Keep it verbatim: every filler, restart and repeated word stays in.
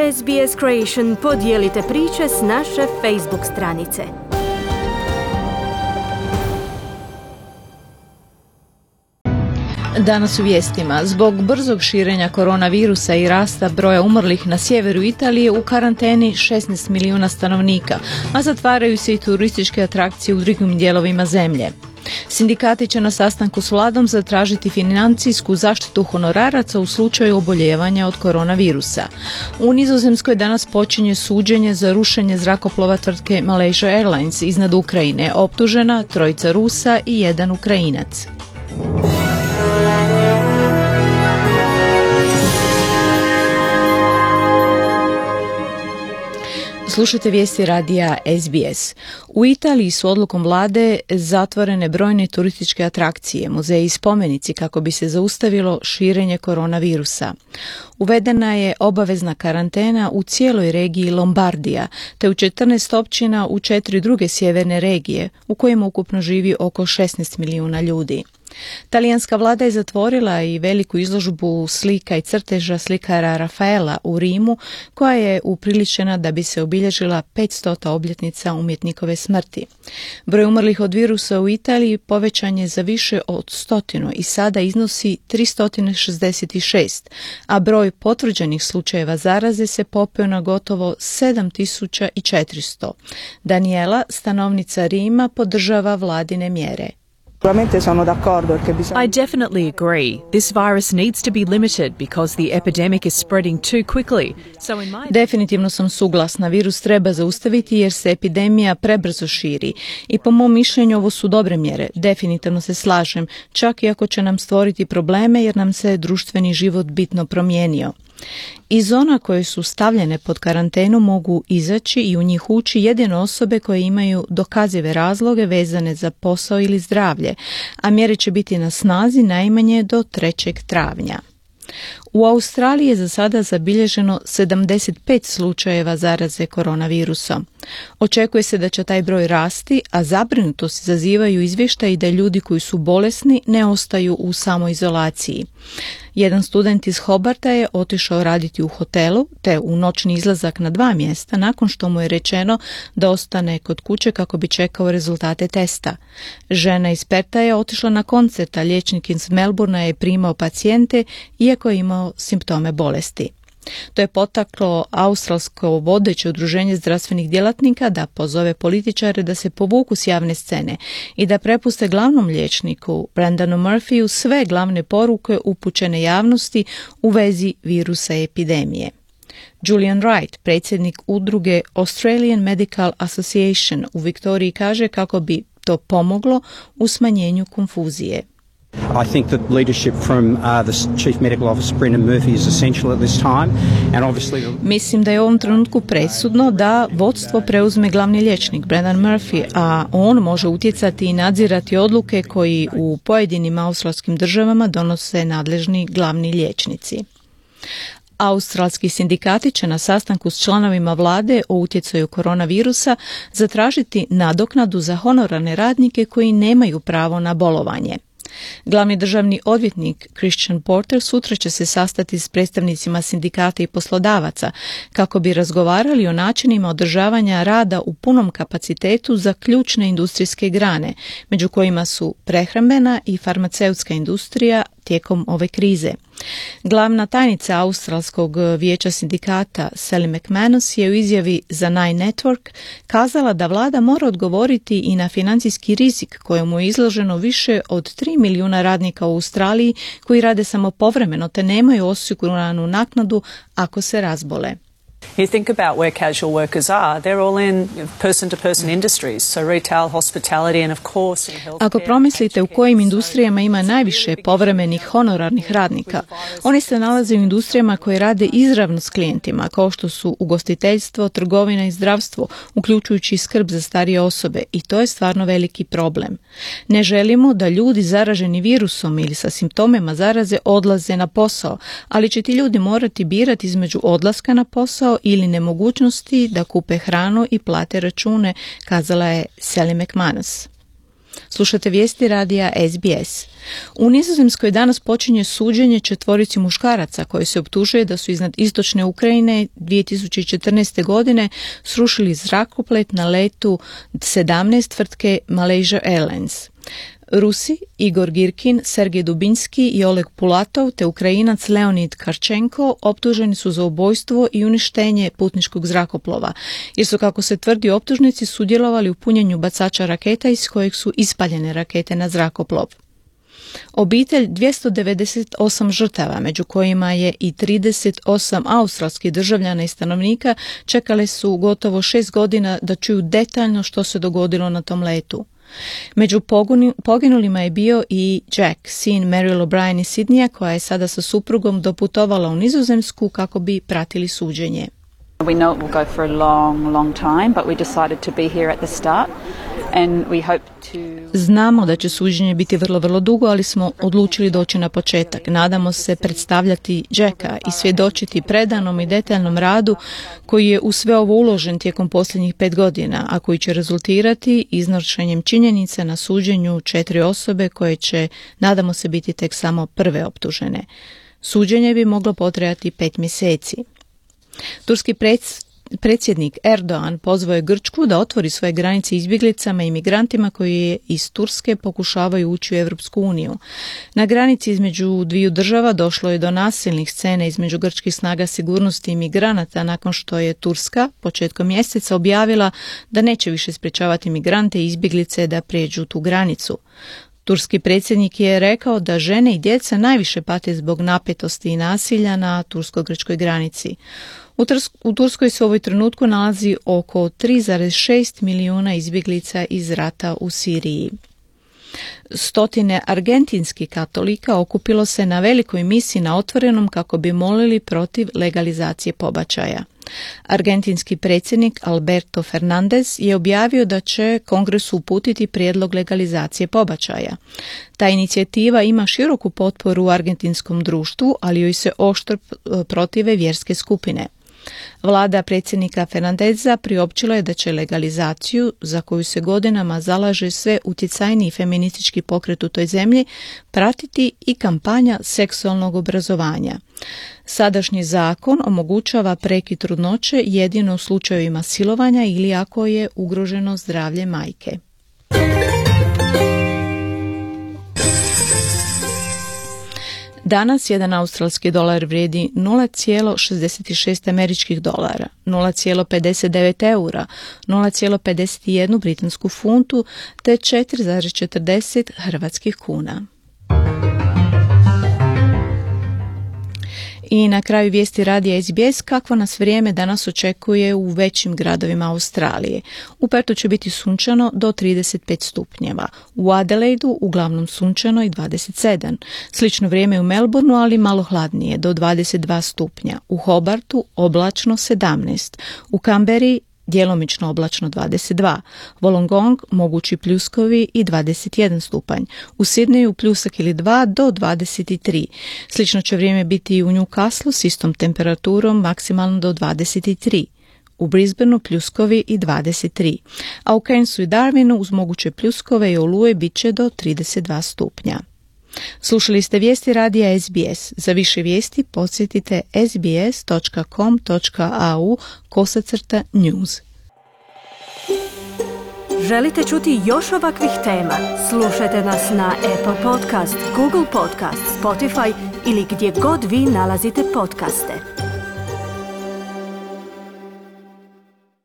S B S Creation podijelite priče s naše Facebook stranice. Danas u vijestima. Zbog brzog širenja koronavirusa i rasta broja umrlih na sjeveru Italije u karanteni šesnaest milijuna stanovnika, a zatvaraju se i turističke atrakcije u drugim dijelovima zemlje. Sindikati će na sastanku s vladom zatražiti financijsku zaštitu honoraraca u slučaju oboljevanja od koronavirusa. U Nizozemskoj danas počinje suđenje za rušenje zrakoplova tvrtke Malaysia Airlines iznad Ukrajine, optužena trojica Rusa i jedan Ukrajinac. Slušajte vijesti radija S B S. U Italiji su odlukom vlade zatvorene brojne turističke atrakcije, muzeji i spomenici kako bi se zaustavilo širenje koronavirusa. Uvedena je obavezna karantena u cijeloj regiji Lombardija, te u četrnaest općina u četiri druge sjeverne regije, u kojima ukupno živi oko šesnaest milijuna ljudi. Talijanska vlada je zatvorila i veliku izložbu slika i crteža slikara Rafaela u Rimu, koja je upriličena da bi se obilježila petstota obljetnica umjetnikove smrti. Broj umrlih od virusa u Italiji povećan je za više od stotinu i sada iznosi tristo šezdeset šest, a broj potvrđenih slučajeva zaraze se popeo na gotovo sedam tisuća četiristo. Daniela, stanovnica Rima, podržava vladine mjere. I definitely agree. This virus needs to be limited because the epidemic is spreading too quickly. So in my... Definitivno sam suglasna. Virus treba zaustaviti jer se epidemija prebrzo širi. I po mom mišljenju ovo su dobre mjere. Definitivno se slažem, čak i ako će nam stvoriti probleme jer nam se društveni život bitno promijenio. Iz zona koje su stavljene pod karantenu mogu izaći i u njih ući jedino osobe koje imaju dokazive razloge vezane za posao ili zdravlje, a mjere će biti na snazi najmanje do trećeg travnja. U Australiji je za sada zabilježeno sedamdeset pet slučajeva zaraze koronavirusom. Očekuje se da će taj broj rasti, a zabrinutost izazivaju izvještaji da ljudi koji su bolesni ne ostaju u samoizolaciji. Jedan student iz Hobarta je otišao raditi u hotelu, te u noćni izlazak na dva mjesta nakon što mu je rečeno da ostane kod kuće kako bi čekao rezultate testa. Žena iz Perta je otišla na koncert, a liječnik iz Melbournea je primao pacijente iako je imao simptome bolesti. To je potaklo australsko vodeće udruženje zdravstvenih djelatnika da pozove političare da se povuku s javne scene i da prepuste glavnom liječniku Brendanu Murphyu sve glavne poruke upućene javnosti u vezi virusa i epidemije. Julian Wright, predsjednik udruge Australian Medical Association u Viktoriji, kaže kako bi to pomoglo u smanjenju konfuzije. I think that leadership from uh, the Chief Medical Officer Brendan Murphy is essential at this time, and obviously the... Mislim da je u ovom trenutku presudno da vodstvo preuzme glavni liječnik Brendan Murphy, a on može utjecati i nadzirati odluke koji u pojedinim australskim državama donose nadležni glavni liječnici. Australski sindikati će na sastanku s članovima vlade o utjecaju koronavirusa zatražiti nadoknadu za honorarne radnike koji nemaju pravo na bolovanje. Glavni državni odvjetnik Christian Porter sutra će se sastati s predstavnicima sindikata i poslodavaca kako bi razgovarali o načinima održavanja rada u punom kapacitetu za ključne industrijske grane, među kojima su prehrambena i farmaceutska industrija tijekom ove krize. Glavna tajnica Australskog vijeća sindikata Sally McManus je u izjavi za Nine Network kazala da vlada mora odgovoriti i na financijski rizik kojemu je izloženo više od tri milijuna radnika u Australiji koji rade samo povremeno te nemaju osiguranu naknadu ako se razbole. You think about where casual workers are, they're all in person-to-person industries, so retail, hospitality and of course in healthcare. Ako promislite u kojim industrijama ima najviše povremenih honorarnih radnika, oni se nalaze u industrijama koje rade izravno s klijentima, kao što su ugostiteljstvo, trgovina i zdravstvo, uključujući skrb za starije osobe, i to je stvarno veliki problem. Ne želimo da ljudi zaraženi virusom ili sa simptomima zaraze odlaze na posao, ali će ti ljudi morati birati između odlaska na posao ili nemogućnosti da kupe hranu i plate račune, kazala je Sally McManus. Slušate vijesti radija S B S. U Nizozemskoj danas počinje suđenje četvorici muškaraca koji se optužuje da su iznad istočne Ukrajine dvije tisuće četrnaeste. godine srušili zrakoplet na letu sedamnaest tvrtke Malaysia Airlines. Rusi Igor Girkin, Sergej Dubinski i Oleg Pulatov te Ukrajinac Leonid Karčenko optuženi su za ubojstvo i uništenje putničkog zrakoplova, jer su, kako se tvrdi, optužnici sudjelovali u punjenju bacača raketa iz kojeg su ispaljene rakete na zrakoplov. Obitelj dvjesto devedeset osam žrtava, među kojima je i trideset osam australskih državljana i stanovnika, čekale su gotovo šest godina da čuju detaljno što se dogodilo na tom letu. Među pogoni, poginulima je bio i Jack, sin Meryl O'Brien iz Sidneya, koja je sada sa suprugom doputovala u Nizozemsku kako bi pratili suđenje. We know it will go for a long, long time, but we decided to be here at the start and we hope to... Znamo da će suđenje biti vrlo, vrlo dugo, ali smo odlučili doći na početak. Nadamo se predstavljati Jacka i svjedočiti predanom i detaljnom radu koji je u sve ovo uložen tijekom posljednjih pet godina, a koji će rezultirati iznošenjem činjenica na suđenju četiri osobe koje će, nadamo se, biti tek samo prve optužene. Suđenje bi moglo potrajati pet mjeseci. Turski predsjednik Erdogan pozvao je Grčku da otvori svoje granice izbjeglicama i migrantima koji iz Turske pokušavaju ući u Europsku uniju. Na granici između dviju država došlo je do nasilnih scena između grčkih snaga sigurnosti i migranata nakon što je Turska početkom mjeseca objavila da neće više sprječavati migrante i izbjeglice da prijeđu tu granicu. Turski predsjednik je rekao da žene i djeca najviše pate zbog napetosti i nasilja na tursko-grčkoj granici. U, Trs- u Turskoj se u ovoj trenutku nalazi oko tri zarez šest milijuna izbjeglica iz rata u Siriji. Stotine argentinskih katolika okupilo se na velikoj misi na otvorenom kako bi molili protiv legalizacije pobačaja. Argentinski predsjednik Alberto Fernandez je objavio da će Kongresu uputiti prijedlog legalizacije pobačaja. Ta inicijativa ima široku potporu u argentinskom društvu, ali joj se oštro protive vjerske skupine. Vlada predsjednika Fernandeza priopćila je da će legalizaciju, za koju se godinama zalaže sve utjecajniji feministički pokret u toj zemlji, pratiti i kampanja seksualnog obrazovanja. Sadašnji zakon omogućava prekid trudnoće jedino u slučajevima silovanja ili ako je ugroženo zdravlje majke. Danas jedan australski dolar vrijedi nula zarez šezdeset šest američkih dolara, nula zarez pedeset devet eura, nula zarez pedeset jedan britansku funtu te četiri zarez četrdeset hrvatskih kuna. I na kraju vijesti radija S B S, kakvo nas vrijeme danas očekuje u većim gradovima Australije. U Pertu će biti sunčano do trideset pet stupnjeva, u Adelaidu uglavnom sunčano i dvadeset sedam. Slično vrijeme u Melbourneu, ali malo hladnije, do dvadeset dva stupnja. U Hobartu oblačno sedamnaest, u Canberri djelomično oblačno dvadeset dva, Wollongong mogući pljuskovi i dvadeset jedan stupanj, u Sidneju pljusak ili dva do dvadeset tri. Slično će vrijeme biti i u Newcastleu s istom temperaturom maksimalno do dvadeset tri. U Brisbaneu pljuskovi i dvadeset tri, a u Cairnsu i Darwinu uz moguće pljuskove i oluje bit će do trideset dva stupnja. Slušali ste vijesti radija S B S. Za više vijesti posjetite sbs dot com dot a u kosacrta news. Želite čuti još ovakvih tema? Slušajte nas na Apple Podcast, Google Podcast, Spotify ili gdje god vi nalazite podcaste.